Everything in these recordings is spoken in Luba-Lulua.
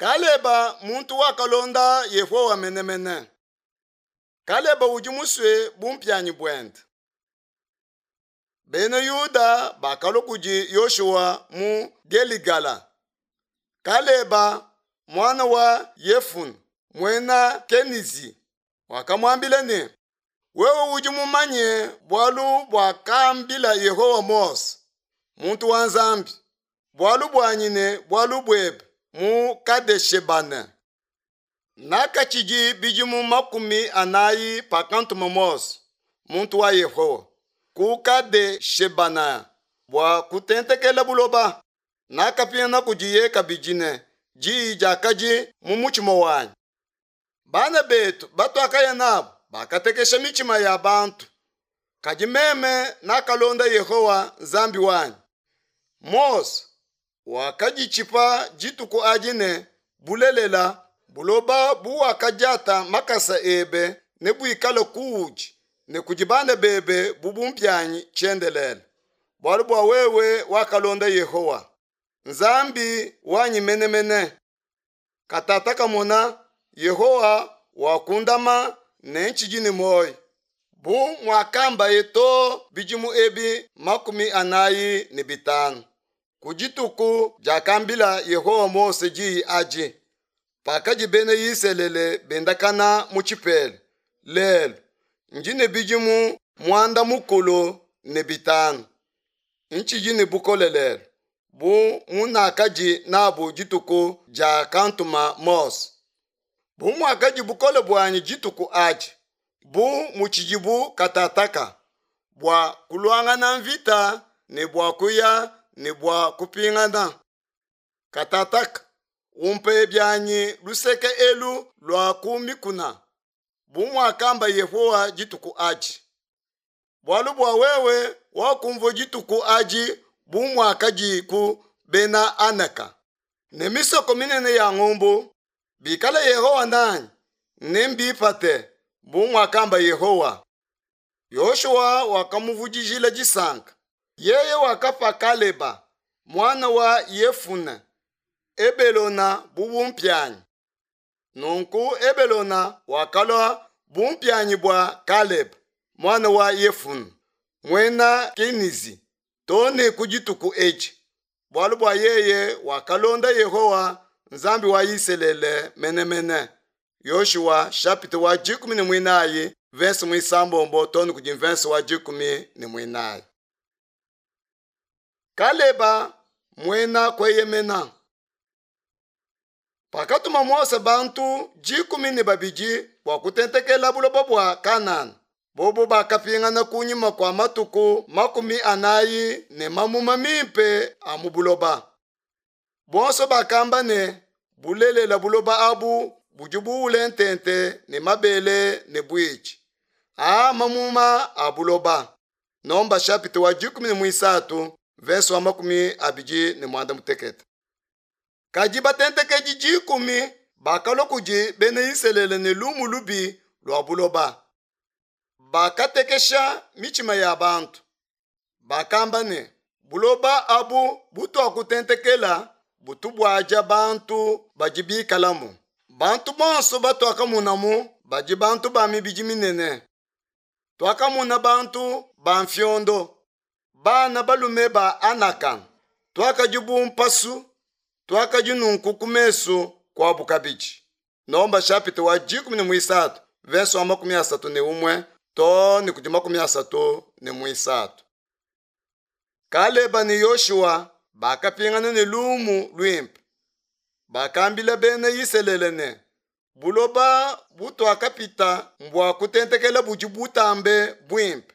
Kaleba muntu wakalonda Yehowa menemene. Kaleba udi musue bumpianyi buende. Bena Yuda bakalua kudi Yoshua mu Geligala. Kaleba muana wa Yefune muena Kenizi wakamuambila ne, Wewe udi mumanye bualu buakambila Yehowa Mose, muntu wa Nzambi, bualu buanyi ne bualu buebe mu Kadeshebane. Nakatshidi bidimu 40 pakantuma Mose, muntu wa Yehowa, ku Kadeshebana bua kutentekela buloba. Nakapingana kudiye kabidi ne diyi diakadi mu mutshima wanyi. Bana betu batuakaya nabu bakatekesha mitshima ya bantu, kadi meme nakalonda Yehowa Nzambi wanyi. Mose wakaditshipa dituku adi ne, Bulelela, buloba buwakadiata makasa ebe nebuikale kuudi ne kudi bana bebe bu bumpianyi tshiendelele, bualu bua wewe wakalonda Yehowa Nzambi wanyi menemene. Katataka mona, Yehowa wakundama ne ntshidi ne muoyo, bu muakambaye too bidimu ebi 45, ku dituku diakambila Yehowa Mose diyi adi, pakadi bena Isalele bendakana mu tshipela. Lelu ndi ne bidimu 95, ntshidi ne bukole lelu bu munakadi nabu dituku diakantuma Mose. Bu muakadi bukole buanyi dituku adi, bu mutshidibu katataka, bua kuluangana mvita ne bua kuya ne bua kupingana. Katataka, umpe bianyi luseke elu lua ku mikuna, bu muakamba Yehowa dituku adi. Bualu bua wewe wakumvua dituku adi bu muakadiku bena Anaka ne misoko minene ya ngumbu. Bikala Yehowa nanyi, nembipate, bu muakamba Yehowa. Yoshua wakamuvudijila disanka. Yeye wakapa Kaleba muana wa Yefune Ebelona bu bumpianyi. Nunku Ebelona wakalua bumpianyi bua Kaleba muana wa Yefune muena Kenizi too ne ku dituku edi, bualu bua yeye wakalonda Yehowa Nzambi wa Isalele menemene. Yoshua chapitre wa 14 verse 6 too ne kudi verse wa 14. Kaleba muena kueyemena. Pakatuma Mose bantu 12 bua kutentekela buloba bua Kanana, bobo bakapingana kunyima kua matuku 40 ne mamuma mimpe a mu buloba. Bonso bakamba ne, bulelela buloba abu budi buule ntente ne mabele ne buitshi. Aa mamuma a buloba. Nomba chapitre wa 13 verse wa 28. Kadi batentekedi 10 bakalua kudi bena Isalele ne lumu lubi lua buloba. Bakatekesha mitshima ya bantu. Bakamba ne, buloba abu butuakutentekela butubuadia bantu badi bikalamu. Bantu bonso batuakamonamu badi bantu ba mibidi minene. Tuakamona bantu ba mfiondo, bana balume ba Anaka. Tuakadi bu mpasu, tuakadi nunku ku mesu kuabu kabidi. Nomba chapitre wa 13 verse wa 31 too ne kudi 33. Kaleba ne Yoshua bakapingana ne lumu luimpe. Bakambila bena Isalele ne, buloba butuakapita mbua kutentekela budi butambe buimpe.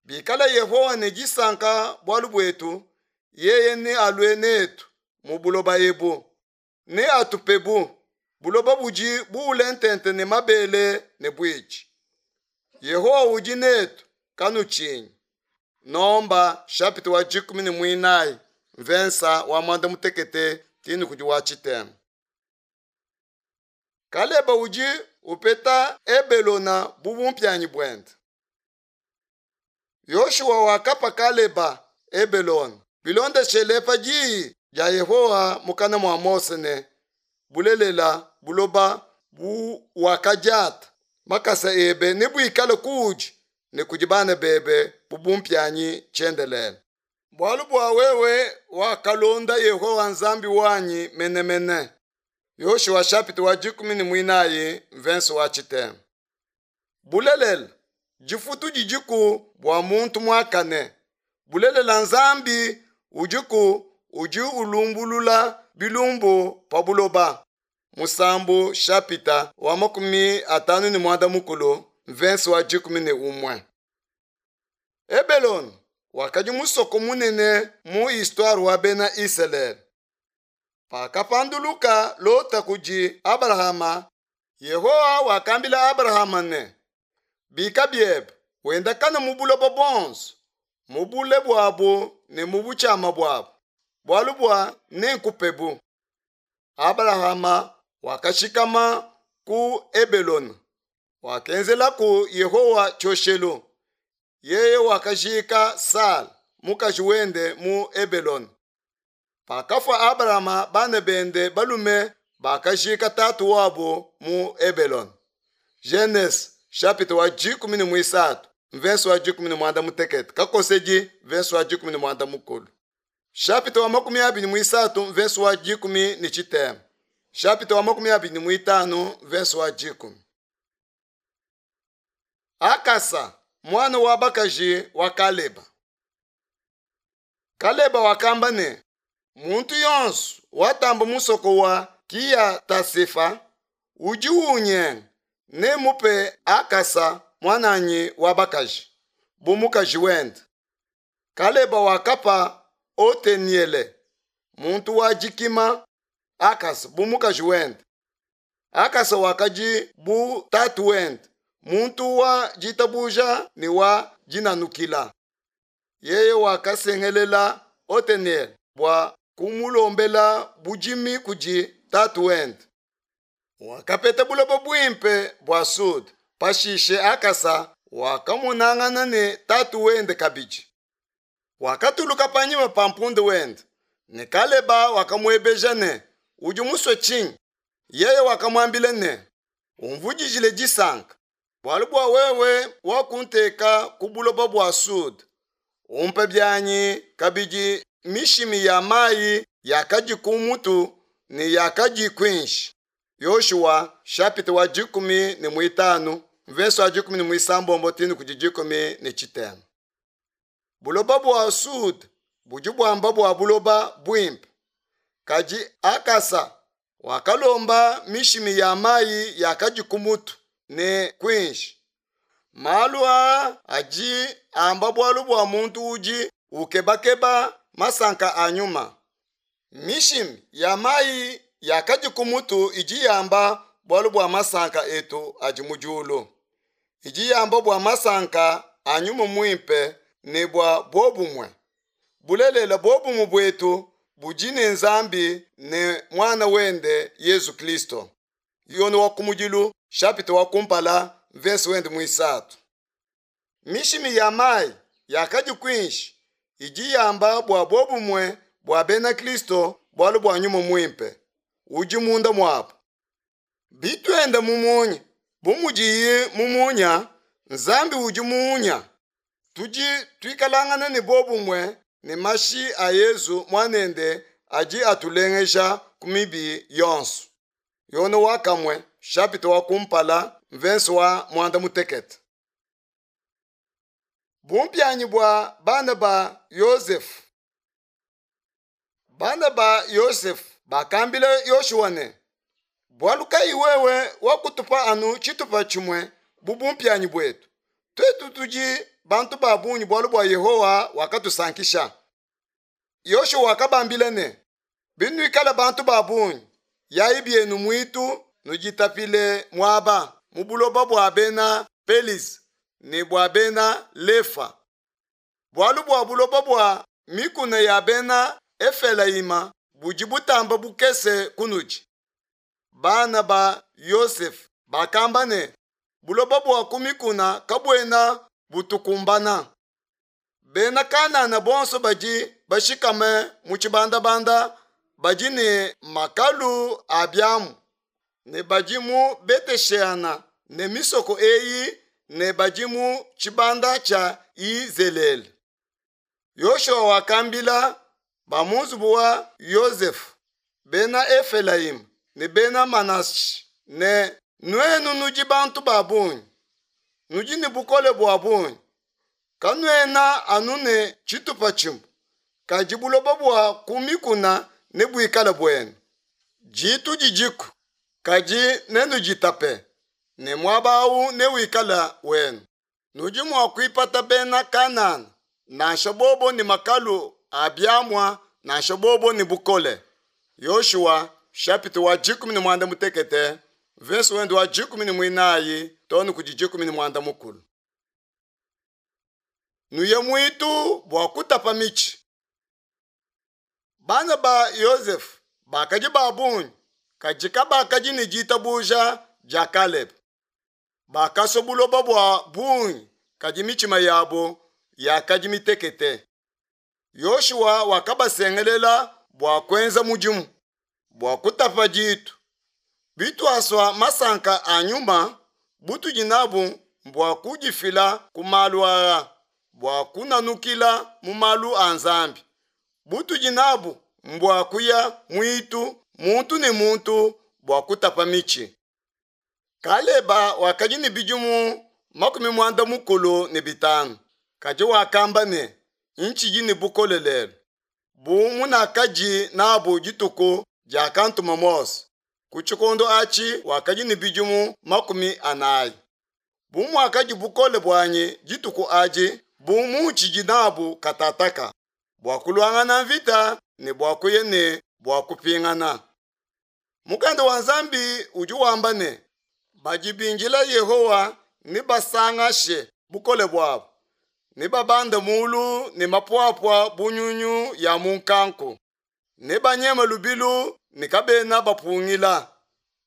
Bikala Yehowa ne disanka bualu buetu, yeye nealue netu mu buloba ebu, neatupebu buloba budi buule ntente ne mabele ne buitshi. Yehowa udi netu, kanutshinyi. Nomba chapitre wa 14 mvensa wa 16 tini kudi wa tshitema. Kaleba udi upeta Ebelona bu bumpianyi buende. Yoshua wakapa Kaleba Ebelona bilondeshele pa diyi dia Yehowa mukana mua Mose ne, Bulelela, buloba buwakadiata makasa ebe nebuikale kuudi ne kudi bana bebe bu bumpianyi tshiendelele. Bualu bua wewe wakalonda Yehowa Nzambi wanyi menemene. Yoshua chapitre wa 14 verse wa tshitema. Bulelela, difutu didiku bua muntu muakane. Bulelela, Nzambi udiku udi ulumbulula bilumbu pa buloba. Musambu shapita wa 50 mvensi wa 11. Ebelone wakadi musoko munene mu histoire wa bena Isalele. Pakapanduluka Lota kudi Abalahama, Yehowa wakambila Abalahama ne, Bika biebe, wendakane mu buloba buonso, mu bule buabu ne mu butshiama buabu, bualu bua nenkupebu. Abalahama wakashikama ku Ebelona, wakenzelaku Yehowa tshioshelu. Yeye wakajika Sala mukaji wende mu Ebelona. Pakafua Abalama, bana bende balume bakajika tatu wabu mu Ebelona. Genese chapitre wa 13 verse wa 16 kakosedi verse wa 13 chapitre wa 23 verse wa 13 chapitre wa 25 verse wa 10. Akasa mwana wa bakaji wa Kaleba. Kaleba wakamba ne, muntu yonso watamba musoko wa Kiyata-Sefa udi unyenga nemupe Akasa mwananyi wa bakaji bu mukaji wende. Kaleba wakapa Oteniele muntu wa dikima Akasa bu mukaji wende. Akasa wakadi bu tatu wende, muntu wa ditabuja ne wa dinanukila. Yeye wakasengelela Oteniele bua kumulombela budimi kudi tatu wende. Wakapeta buloba buimpe bua Sud. Pashishe Akasa wakamonangana ne tatu wende kabidi. Wakatuluka panyima pa mpunde wende, ne Kaleba wakamuebeja ne, udi musue tshinyi? Yeye wakamuambila ne, umvudijile disanka, bualu bua wewe wakunteka ku buloba bua Sud. Umpe bianyi kabidi mishimi ya mayi yakadi ku mutu ne yakadi kuinshi. Yoshua chapitre wa 15 verse wa 16 tinu kudi 13. Buloba bua Sud budi buamba bua buloba buimpe. Kadi Akasa wakalomba mishimi ya mayi yakadi ku mutu ne kuinshi. Malu aa adi amba bualu bua muntu udi ukebakeba masanka a nyuma. Mishimi ya mayi yakadi ku mutu idi yamba bualu bua masanka etu adi mu diulu. Idi yamba bua masanka a nyuma muimpe ne bua bobumue. Bulelela bobumue buetu budi ne Nzambi ne mwana wende Yesu Kristo. Yone wa kumudilu chapitre wa kumpala verse wende muisatu. Mishimi ya mayi yakadi kuinshi idi yamba bua bobumue bua bena Kristo bualu bua nyuma muimpe udi munda muabu. Bituenda mu munya bu mudiye mu munya, Nzambi udi munya. Tudi tuikalangana ne bobumue ne mashi a Yezu mwanende adi atulengeja ku mibi yonso. Yone wa kamwe chapitre wa kumpala verse wa 16. Bumpianyi bua bana ba Yosefu. Bana ba Yosefu bakambila Yoshua ne, bualu kayi wewe wakutupa anu tshitupa tshimue bu bumpianyi buetu? Tuetu tudi bantu ba bungi bualu bua Yehowa wakatusankisha. Yoshua wakabambila ne, binuikala bantu ba bungi, yayi bienu muitu nuditapile muaba mu buloba bua bena Pelisi ne bua bena Lefa. Bualu bua buloba bua mikuna ya bena Efelayima budi butamba bukese kunudi. Bana ba Yosefu bakamba ne, buloba bua ku mikuna kabuena butukumbana. Bena Kanana bonso badi bashikame mu tshibandabanda badi ne makalu a biamu ne badi mu Betesheana ne misoko eyi ne badi mu tshibanda tshia Yizelele. Yoshua wakambila ba mu nzubu wa Yosefe, bena Efelayima ne bena Manashe ne, Nuenu nudi bantu ba bungi, nudi ne bukole bua bungi, kanuena anu ne tshitupa tshimue, kadi buloba bua ku mikuna nebuikale buenu. Ditu didiku, kadi nenuditape, ne muaba au newikale wenu. Nudi mua kuipata bena Kanana, nansha bobo ne makalu a biamua nansha bobo ne bukole. Yoshua chapitre wa 16 verse wende wa 14 too ne kudi 16. Nuye muitu bua kutapa mitshi. Bana ba Yosefe bakadi ba bungi, kadi kabakadi ne ditabuja dia Kalebe. Bakasua buloba bua bungi, kadi mitshima yabo yakadi mitekete. Yoshua wakabasengelela bua kuenza mudimu bua kutapa ditu. Bituasua masanka a nyuma, butudi nabu mbua kudifila ku malu aa, bua kunanukila mu malu a Nzambi. Butudi nabu mbua kuya muitu muntu ne muntu bua kutapa mitshi. Kaleba wakadi ne bidimu 65, kadi wakamba ne, Ntshidi ne bukole lelu, bu munakadi nabu dituku diakantuma Mose. Ku tshikondo atshi wakadi ne bidimu 40. Bu muakadi bukole buanyi dituku adi, bu muntshidi nabu katataka, bua kuluangana mvita ne bua kuya ne bua kupingana. Mukanda wa Nzambi udi wamba ne, badi bindila Yehowa nebasangashe bukole buabu, nebabande mulu ne mapuapua bu nyunyu ya mu nkanku, nebanyeme lubilu ne kabena bapungila,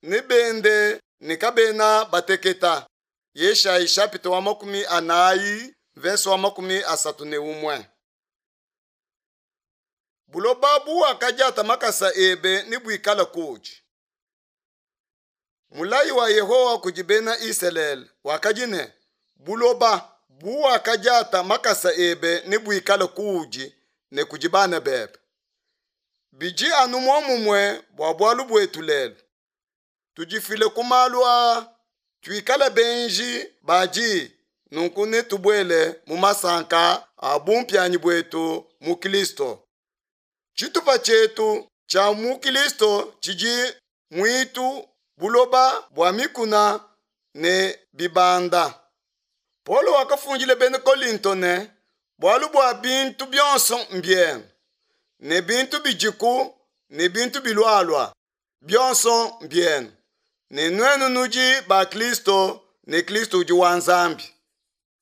nebende ne kabena bateketa. Yeshayi chapitre wa 40 verse wa 31. Buloba buwakadiata makasa ebe nebuikale kuudi. Mulayi wa Yehowa kudi bena Isalele wakadi ne, buloba buwakadiata makasa ebe nebuikale kuudi ne kudi bana bebe. Bidi anu muomumue bua bualu buetu lelu. Tudifile ku malu aa, tuikale benji ba diyi, nunku netubuele mu masanka a bumpianyi buetu mu Kristo. Tshitupa tshietu tshia mu Kristo tshidi muitu, buloba bua mikuna ne bibanda. Paulo wakafundila bena Kolinto ne, bualu bua bintu bionso mbienu, ne bintu bidiku ne bintu bilualua, bionso mbienu, ne nuenu nudi ba Kristo ne Kristo udi wa Nzambi.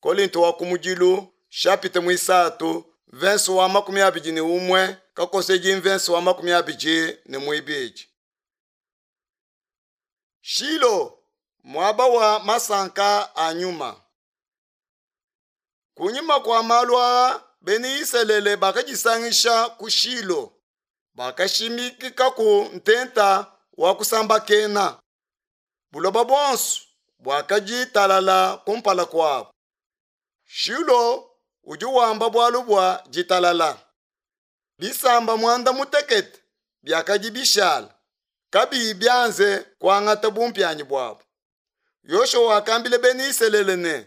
Kolinto wa kumudilu chapitre muisatu verse wa 21 kakosedi verse wa 22. Shilo, muaba wa masanka a nyuma. Kunyima kua malu aa, bena Isalele bakadisangisha ku Shilo, bakashimikikaku ntenta wa kusambakena. Buloba buonso buakadi talala kumpala kuabu. Shilo udi wamba bualu bua ditalala. Bisamba 16 biakadi bishala kabiyi bianze kuangata bumpianyi buabu. Yoshua wakambila bena Isalele ne,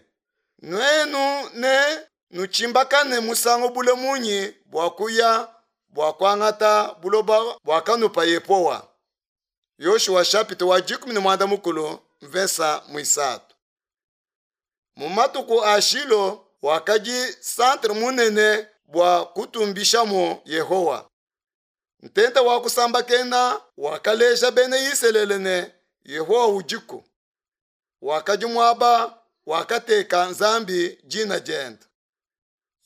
nuenu ne nutshimbakane musangu bule munyi bua kuya bua kuangata buloba buakanupa Yehowa. Yoshua chapitre wa 16 mvesa muisatu. Mu matuku a Shilo wakadi centre munene bua kutumbishamu Yehowa. Ntenta wa kusambakena wakaleja bena Isalele ne Yehowa udiku. Wakadi muaba wakateka Nzambi dina diende.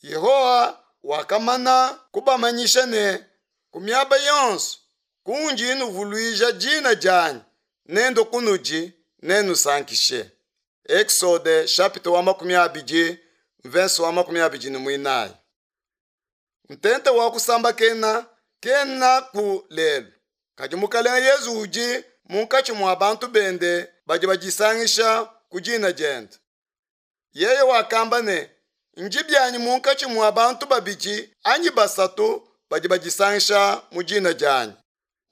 Yehowa wakamana kubamanyisha ne, ku miaba yonso kundi nuvuluija dina dianyi, nendo kunudi nenusankishe. Exode chapitre wa 20 verse wa 24. Ntenta wa kusambakena Kenaku lelu, kadi Mukelenge Yesu udi munkatshi mua bantu bende badi badisangisha ku dina diende. Yeye wakamba ne, Ndi bianyi munkatshi mua bantu babidi anyi basatu badi badisangisha mu dina dianyi.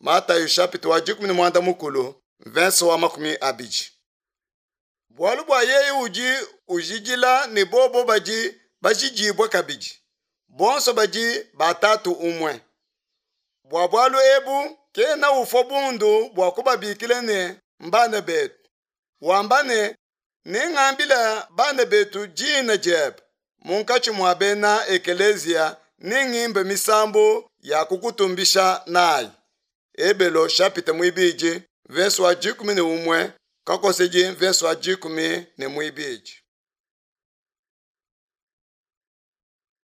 Matayo chapitre wa 16 verse wa 20. Bualu bua yeye udi ujidila ne bobo badi bajidibue kabidi, bonso badi ba Tatu umue. Bua bualu ebu kena ufua bundu bua kubabikila ne mbana betu, wamba ne, Nengambile bana betu dina diebe, munkatshi mua bena ekeleziya nengimbe misambu ya kukutumbisha nayi. Ebelo chapitre muibidi verse wa 11 kakosedi verse wa 12.